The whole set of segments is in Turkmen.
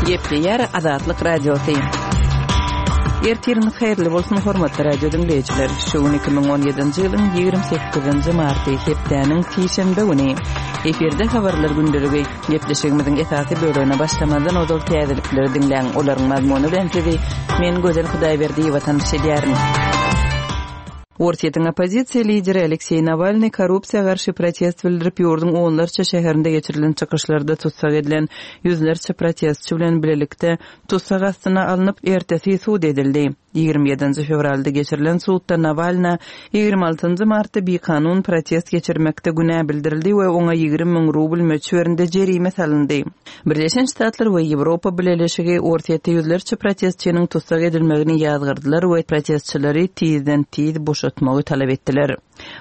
Gepleýär Azatlyk Radiosy. Ertiriňiz haýyrly bolsun, hormatly radio diňleýjiler. Şu gün 2017-nji ýylyň 28-nji marty, hepdäniň sişenbe güni. Efirde habarlar gündeligi. Gepleşigimiziň esasy bölegine başlamazdan ozal täzelikleri diňläň. Olaryň mazmuny bilen sizi men Gözel Hudaýberdiýewa tanyş edýärin. Orsýetiň oppozisiýa lideri Alekseý Nawalnyý korrupsiýa garşy protest bildirip, ýurduň onlarça şäherinde geçirilen çykyşlarda tussag edilen ýüzlerçe protestçi bilen bilelikde tussag astyna alnyp, ertesi sud edildi. 27-nji fewralda geçirilen sudda Nawalna 26-njy martda bikanun protest geçirmekde günä bildirildi we oňa 20 müň rubl möçberinde jerime salyndy. Birleşen Ştatlar we Ýewropa Bileleşigi Orsýetde ýüzlerçe protestçiniň tussag edilmegini ýazgardylar we protestçileri tizden-tiz boşatmagy talap etdiler.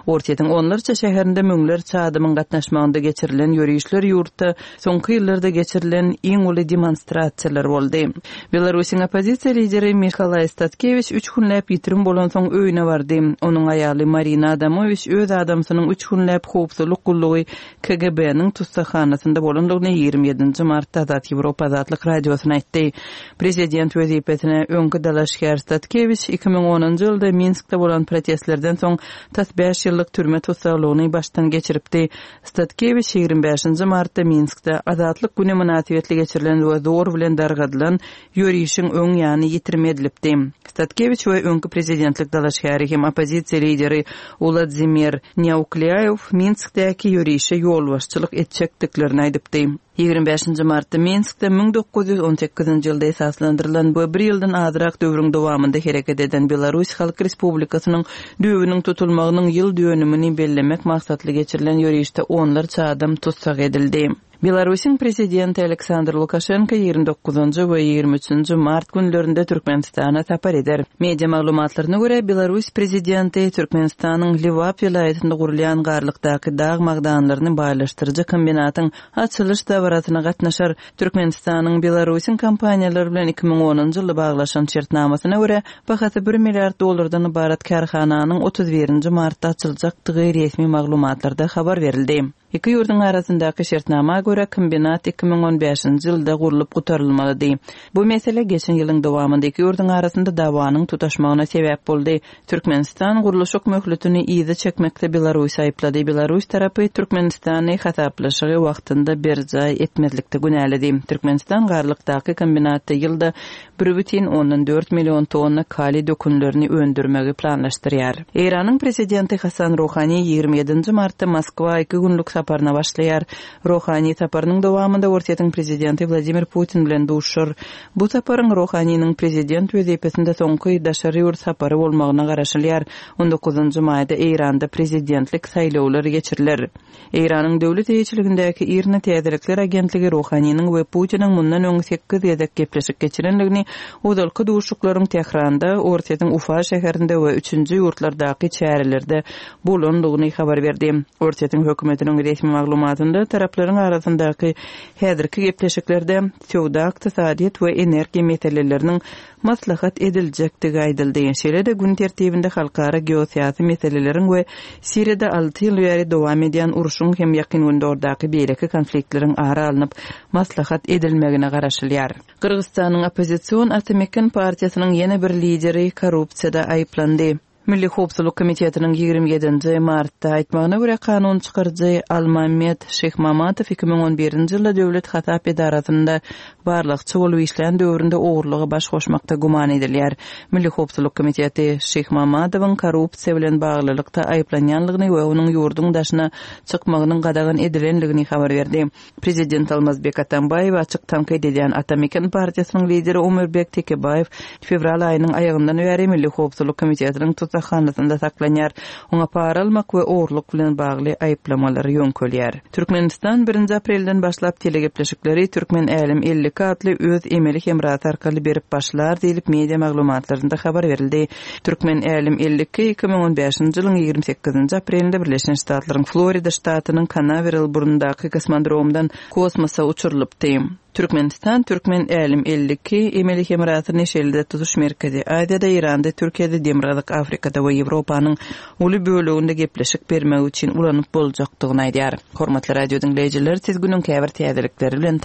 Orsýetiň onlarça şäherinde müňlerçe adamyň gatnaşmagynda geçirilen ýörişler ýurtda soňky ýyllarda geçirilen iň uly demonstrasiýalar boldy. Belarusyň oppozisiýa lideri Mihalaý Statkewiç üç günläp ýitirim bolansoň öýüne bardy. Onuň aýaly Marina Adamowiç öz adamsynyň üç günläp howpsuzlyk gullugy KGB-niň tussaghanasynda bolandygyny 27 nji martda Azat Ýewropa Azatlyk Radiosyna aýtdy. Prezident wezipesine öňki dalaşgär Statkewiç 2010-njy ýylda Minskde bolan protestlerden soň tas bäş ýyllyk türme tussaglygyny başdan geçiripdi. Statkewiç 25-nji martda Minskde Azatlyk güni mynasybetli geçirilen we zor bilen dargadylan ýörişiň öň ýany ýitirim edilipdi. Statkewiç we öňki prezidentlik dalaşgäri hem oppozisiýa lideri Uladzimir Nýauklýaýew Minskdäki ýörişe ýolbaşçylyk etjekdiklerini aýdypdy. 25-nji martda Minskde 1918-nji ýylda esaslandyrylan we bir ýyldan azrak döwrüň dowamynda hereket eden Belarus Halk Respublikasynyň düýbüniň tutulmagynyň ýyl dönümini bellemek maksatly geçirilen ýörişde onlarça adam tussag edildi. Belarusyň Prezidenti Aleksandr Lukaşenko 29-njy we 23-nji mart günlerinde Türkmenistana sapar eder. Media maglumatlaryna görä, Belarus Prezidenti Türkmenistanyň Lebap welaýatynda gurulýan Garlykdaky dag magdanlaryny baýlaşdyryjy kombinatyň açylyş dabarasyna gatnaşar. Türkmenistanyň Belarusyň kompaniýalary bilen 2010-njy ýylda baglaşan şertnamasyna görä, bahasy bir milliard dollardan ybarat kärhananyň 31-nji martda açyljakdygy resmi maglumatlarda habar berildi. Iki ýurduň arasyndaky şertnama görä, kombinat 2015-nji ýylda gurlup gutarylmalydy. Bu mesele geçen ýylyň dowamynda iki ýurduň arasynda dawanyň tutaşmagyna sebäp boldy. Türkmenistan gurluşyk möhletini yza çekmekde Belarusy aýyplady. Belarus tarapy Türkmenistany hasaplaşygy wagtynda berjaý etmezlikde günäledi. Türkmenistan Garlykdaky kombinatda ýylda 1,4 million tonna kaliý dökünlerini öndürmegi planlaşdyrýar. Eýranyň prezidenti Hasan Ruhani 27-nji martda Moskwa iki günlük saparyna başlaýar. Ruhani saparynyň dowamynda Orsýetiň prezidenti Wladimir Putin bilen duşuşar. Bu saparyň Ruhaniniň prezident wezipesinde soňky daşary ýurt sapary bolmagyna garaşylýar. On dokuzynjy maýda Eýranda prezidentlik saýlawlary geçiriler. Eýranyň döwlet eýeçiligindäki IRNA täzelikler agentligi Ruhaniniň we Putiniň mundan öň sekiz gezek gepleşik geçirendigini, ozalky duşuşyklaryň Tähranda, Orsýetiň Ufa şäherinde we üçünji ýurtlardaky çärelerde bolandygyny habar berdi. Orsýetiň hökümetiniň resmi maglumatynda taraplaryň arasyndaky häzirki gepleşiklerde söwda, ykdysadyýet we energiýa meseleleriniň maslahat ediljekdigi aýdyldy. Şeýle-de gün tertibinde halkara geosyýasy meseleleriň we Siriýada alty ýyl bäri dowam edýän urşuň hem Ýakyn Gündogardaky beýleki konfliktleriň ara alnyp maslahat edilmegine garaşylýar. Gyrgyzystanyň oppozision Ata-Meken partiýasynyň ýene bir lideri korrupsiýada aýyplandy. Milli howpsuzlyk komitetiniň 27-nji martda aýtmagyna görä, kanun çykaryjy Almammet Şyhmamatow 2011-nji ýylda döwlet hasap edarasynda barlagçy bolup işlän döwründe ogurlyga baş goşmakda güman edilýär. Milli howpsuzlyk komiteti Şyhmamadowyň korrupsiýa bilen baglylykda aýyplanýanlygyny we onuň ýurduň daşyna çykmagynyň gadagan edilenligini habar berdi. Prezident Almazbek Atambaýewi açyk tankyt edýän Ata Meken partiýasynyň lideri Omurbek Tekebaýew fewral aýynyň aýagyndan bäri Milli howpsuzlyk komitetiniň tussaghanasynda saklanýar. Oňa para almak we ogurlyk bilen bagly aýyplamalar ýöňkelýär. Türkmenistan birinji aprelden başlap telegepleşikleri Türkmen Älem 52 atly öz emeli hemrasy arkaly berip başlar diýlip, media maglumatlarynda habar berildi. Türkmen Älem 52 2015-nji ýylyň 28-nji aprelinde Birleşen Ştatlaryň Florida ştatynyň Kanaweral burnundaky kosmodromdan kosmosa uçurylypdy. Türkmenistan Türkmen Älem 52 emeli hemrasyny şeýle-de tutuş Merkezi Aziýada, Eýranda, Türkiýede, Demirgazyk Afrikada we Ýewropanyň uly böleginde gepleşik bermek üçin ulanyp boljakdygyny aýdýar. Hormatly radio diňleýjiler, siz günüň käbir täzelikleri bilen.